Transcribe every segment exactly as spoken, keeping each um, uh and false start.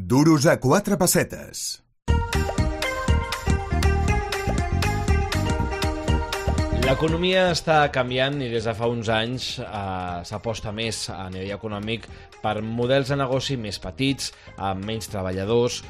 Duros a quatre pessetes. L'economia està canviant i des de fa uns anys eh, s'aposta més a nivell econòmic per models de negoci més petits, amb menys treballadors,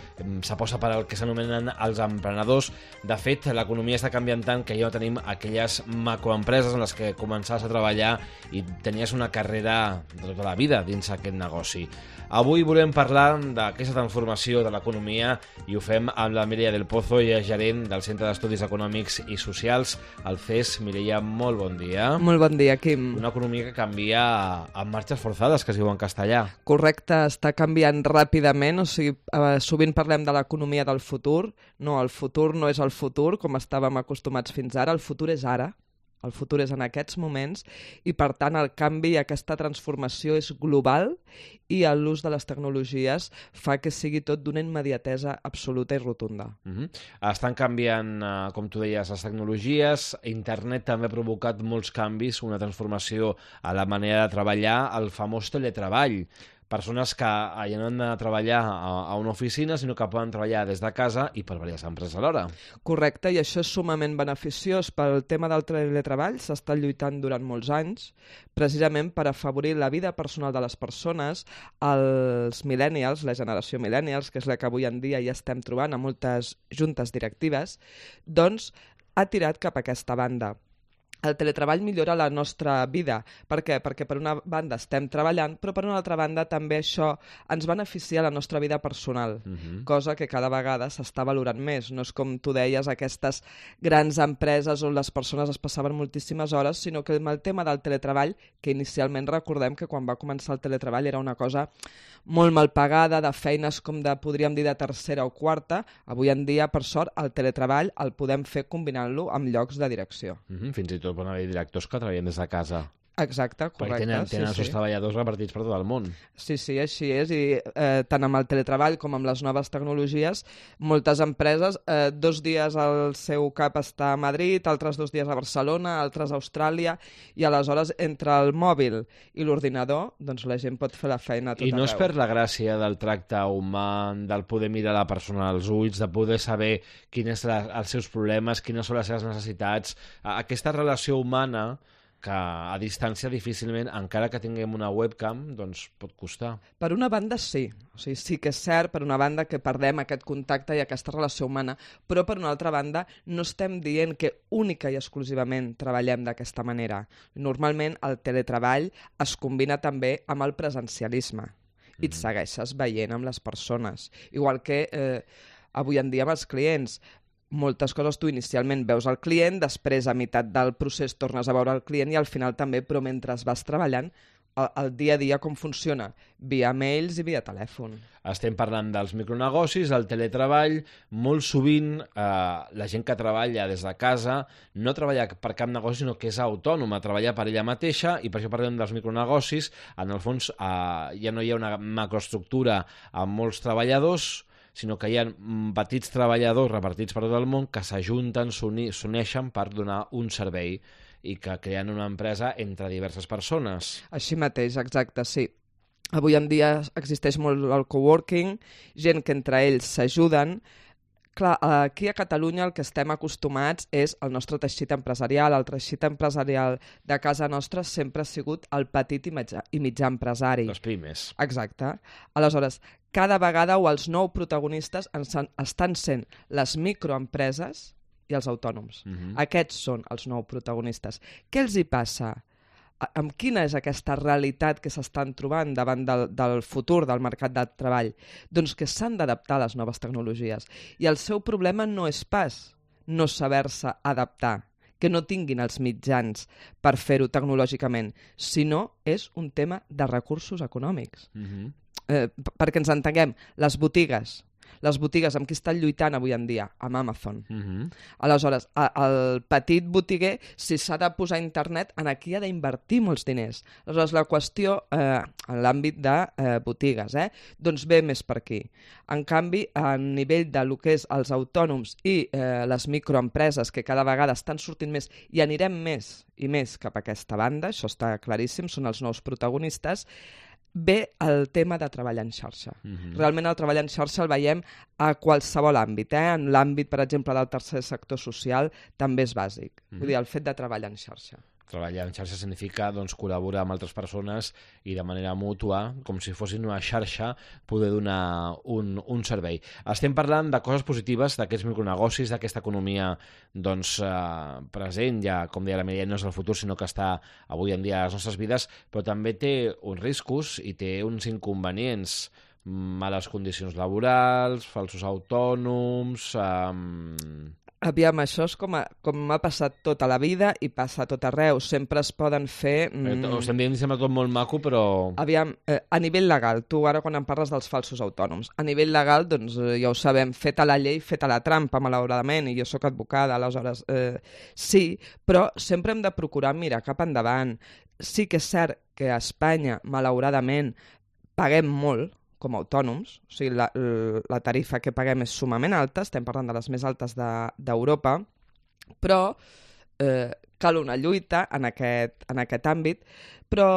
s'aposta per el que s'anomenen els emprenedors. De fet, l'economia està canviant tant que ja tenim aquelles macroempreses en les que començaves a treballar i tenies una carrera de tota la vida dins aquest negoci. Avui volem parlar d'aquesta transformació de l'economia i ho fem amb la Mireia del Pozo, i és gerent del Centre d'Estudis Econòmics i Socials, el C E S. Mireia, molt bon dia. Molt bon dia, Quim. Una economia que canvia amb marxes forçades, que es diu en castellà. Correcte, està canviant ràpidament, o sigui, eh, sovint parlem de l'economia del futur. No, el futur no és el futur, com estàvem acostumats fins ara, el futur és ara. El futur és en aquests moments i, per tant, el canvi i aquesta transformació és global i l'ús de les tecnologies fa que sigui tot d'una immediatesa absoluta i rotunda. Uh-huh. Estan canviant, eh, com tu deies, les tecnologies. Internet també ha provocat molts canvis, una transformació a la manera de treballar, el famós teletreball. Persones que ja no han de treballar a una oficina, sinó que poden treballar des de casa i per diverses empreses alhora. Correcte, i això és sumament beneficiós. Pel tema del teletreball s'ha estat lluitant durant molts anys, precisament per afavorir la vida personal de les persones. Els millennials, la generació millennials, que és la que avui en dia ja estem trobant a moltes juntes directives, doncs ha tirat cap a aquesta banda. El teletreball millora la nostra vida. Per què? Perquè per una banda estem treballant, però per una altra banda també això ens beneficia la nostra vida personal, uh-huh. cosa que cada vegada s'està valorant més. No és com tu deies, aquestes grans empreses on les persones es passaven moltíssimes hores, sinó que amb el tema del teletreball, que inicialment recordem que quan va començar el teletreball era una cosa molt mal pagada, de feines com de, podríem dir, de tercera o quarta. Avui en dia, per sort, el teletreball el podem fer combinant-lo amb llocs de direcció. Uh-huh. Fins i tot poden haver directors que treballen des de casa. Exacte, correcte. Perquè tenen, tenen sí, els seus sí. treballadors repartits per tot el món. Sí, sí, així és. I eh, tant amb el teletreball com amb les noves tecnologies, moltes empreses, eh, dos dies el seu cap està a Madrid, altres dos dies a Barcelona, altres a Austràlia, i aleshores entre el mòbil i l'ordinador, doncs la gent pot fer la feina a tot I no arreu. es perd la gràcia del tracte humà, del poder mirar la persona als ulls, de poder saber quins són els seus problemes, quines són les seves necessitats. Aquesta relació humana que a distància difícilment, encara que tinguem una webcam, doncs pot costar. Per una banda sí, o sigui, sí que és cert, per una banda que perdem aquest contacte i aquesta relació humana, però per una altra banda no estem dient que única i exclusivament treballem d'aquesta manera. Normalment el teletreball es combina també amb el presencialisme i et segueixes veient amb les persones. Igual que eh, avui en dia amb els clients, moltes coses tu inicialment veus el client, després a meitat del procés tornes a veure el client i al final també, però mentre vas treballant, el, el dia a dia com funciona? Via mails i via telèfon. Estem parlant dels micronegocis, del teletreball. Molt sovint eh, la gent que treballa des de casa no treballa per cap negoci, sinó que és autònoma, treballa per ella mateixa, i per això parlem dels micronegocis. En el fons eh, ja no hi ha una macroestructura amb molts treballadors, sinó que hi ha petits treballadors repartits per tot el món que s'ajunten, s'uneixen per donar un servei i que creen una empresa entre diverses persones. Així mateix, exacte, sí. Avui en dia existeix molt el coworking, gent que entre ells s'ajuden. Clar, aquí a Catalunya el que estem acostumats és el nostre teixit empresarial. El teixit empresarial de casa nostra sempre ha sigut el petit i mitjà, i mitjà empresari. Les pimes. Exacte. Aleshores, cada vegada o els nous protagonistes estan sent les microempreses i els autònoms. Uh-huh. Aquests són els nous protagonistes. Què els hi passa? Amb quina és aquesta realitat que s'estan trobant davant del, del futur del mercat de treball? Doncs que s'han d'adaptar a les noves tecnologies. I el seu problema no és pas no saber-se adaptar, que no tinguin els mitjans per fer-ho tecnològicament, sinó és un tema de recursos econòmics. Uh-huh. eh, perquè ens entenguem, les botigues, les botigues amb qui estan lluitant avui en dia, amb Amazon. Uh-huh. Aleshores, el petit botiguer, si s'ha de posar a internet, en aquí ha d'invertir molts diners. Aleshores, la qüestió, eh, en l'àmbit de eh, botigues, eh, doncs ve més per aquí. En canvi, a nivell de lo que és els autònoms i eh, les microempreses, que cada vegada estan sortint més, i anirem més i més cap a aquesta banda, això està claríssim, són els nous protagonistes, ve el tema de treballar en xarxa. Mhm. Realment el treball en xarxa el veiem a qualsevol àmbit. Eh? En l'àmbit, per exemple, del tercer sector social també és bàsic. Mhm. Vull dir, el fet de treballar en xarxa. Treballar en xarxa significa doncs, col·laborar amb altres persones i de manera mútua, com si fossin una xarxa, poder donar un, un servei. Estem parlant de coses positives, d'aquests micronegocis, d'aquesta economia doncs, eh, present, ja, com deia la Mireia, no és el futur, sinó que està avui en dia a les nostres vides, però també té uns riscos i té uns inconvenients, males condicions laborals, falsos autònoms... Eh, Aviam, això és com, a, com m'ha passat tota la vida i passa a tot arreu. Sempre es poden fer... Mm... Ho estem dient, sembla tot molt maco, però... Aviam, eh, a nivell legal, tu ara quan em parles dels falsos autònoms, a nivell legal, doncs eh, ja ho sabem, feta la llei, feta la trampa, malauradament, i jo sóc advocada, aleshores eh, sí, però sempre hem de procurar mirar cap endavant. Sí que és cert que a Espanya, malauradament, paguem molt, com a autònoms, o sigui, la, la tarifa que paguem és sumament alta, estem parlant de les més altes d'Europa, de, però eh, cal una lluita en aquest, en aquest àmbit, però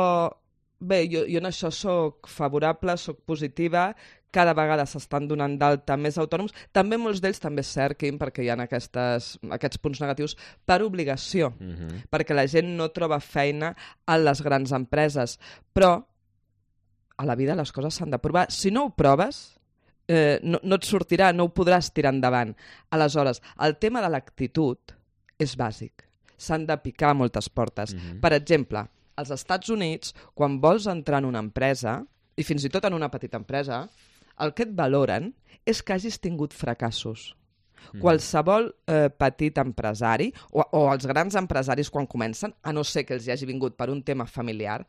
bé, jo, jo en això sóc favorable, sóc positiva, cada vegada s'estan donant d'alta més autònoms, també molts d'ells també és cert, Quim, perquè hi ha aquestes, aquests punts negatius per obligació, Mm-hmm. perquè la gent no troba feina a les grans empreses, però a la vida les coses s'han de provar. Si no ho proves, eh, no, no et sortirà, no ho podràs tirar endavant. Aleshores, el tema de l'actitud és bàsic. S'han de picar moltes portes. Mm-hmm. Per exemple, als Estats Units, quan vols entrar en una empresa, i fins i tot en una petita empresa, el que et valoren és que hagis tingut fracassos. Mm. Qualsevol eh, petit empresari o, o els grans empresaris quan comencen, a no ser que els hi hagi vingut per un tema familiar,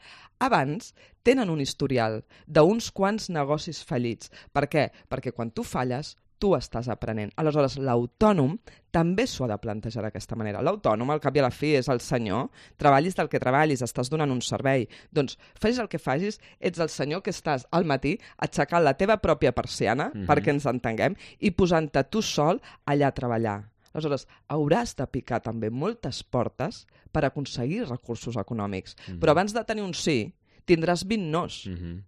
abans tenen un historial d'uns quants negocis fallits. Per què? Perquè quan tu falles, tu estàs aprenent. Aleshores, l'autònom també s'ho ha de plantejar d'aquesta manera. L'autònom, al cap i a la fi, és el senyor. Treballis del que treballis, estàs donant un servei. Doncs, facis el que facis, ets el senyor que estàs al matí aixecant la teva pròpia persiana, mm-hmm. perquè ens entenguem, i posant-te tu sol allà a treballar. Aleshores, hauràs de picar també moltes portes per aconseguir recursos econòmics. Mm-hmm. Però abans de tenir un sí, tindràs vint nos. Mm-hmm.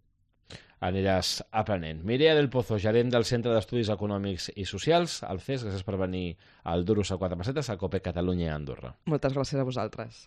Aniràs aprenent. Mireia del Pozo, gerent del Centre d'Estudis Econòmics i Socials, al C E S, gràcies per venir al Duros a quatre pessetes, a COPE Catalunya i Andorra. Moltes gràcies a vosaltres.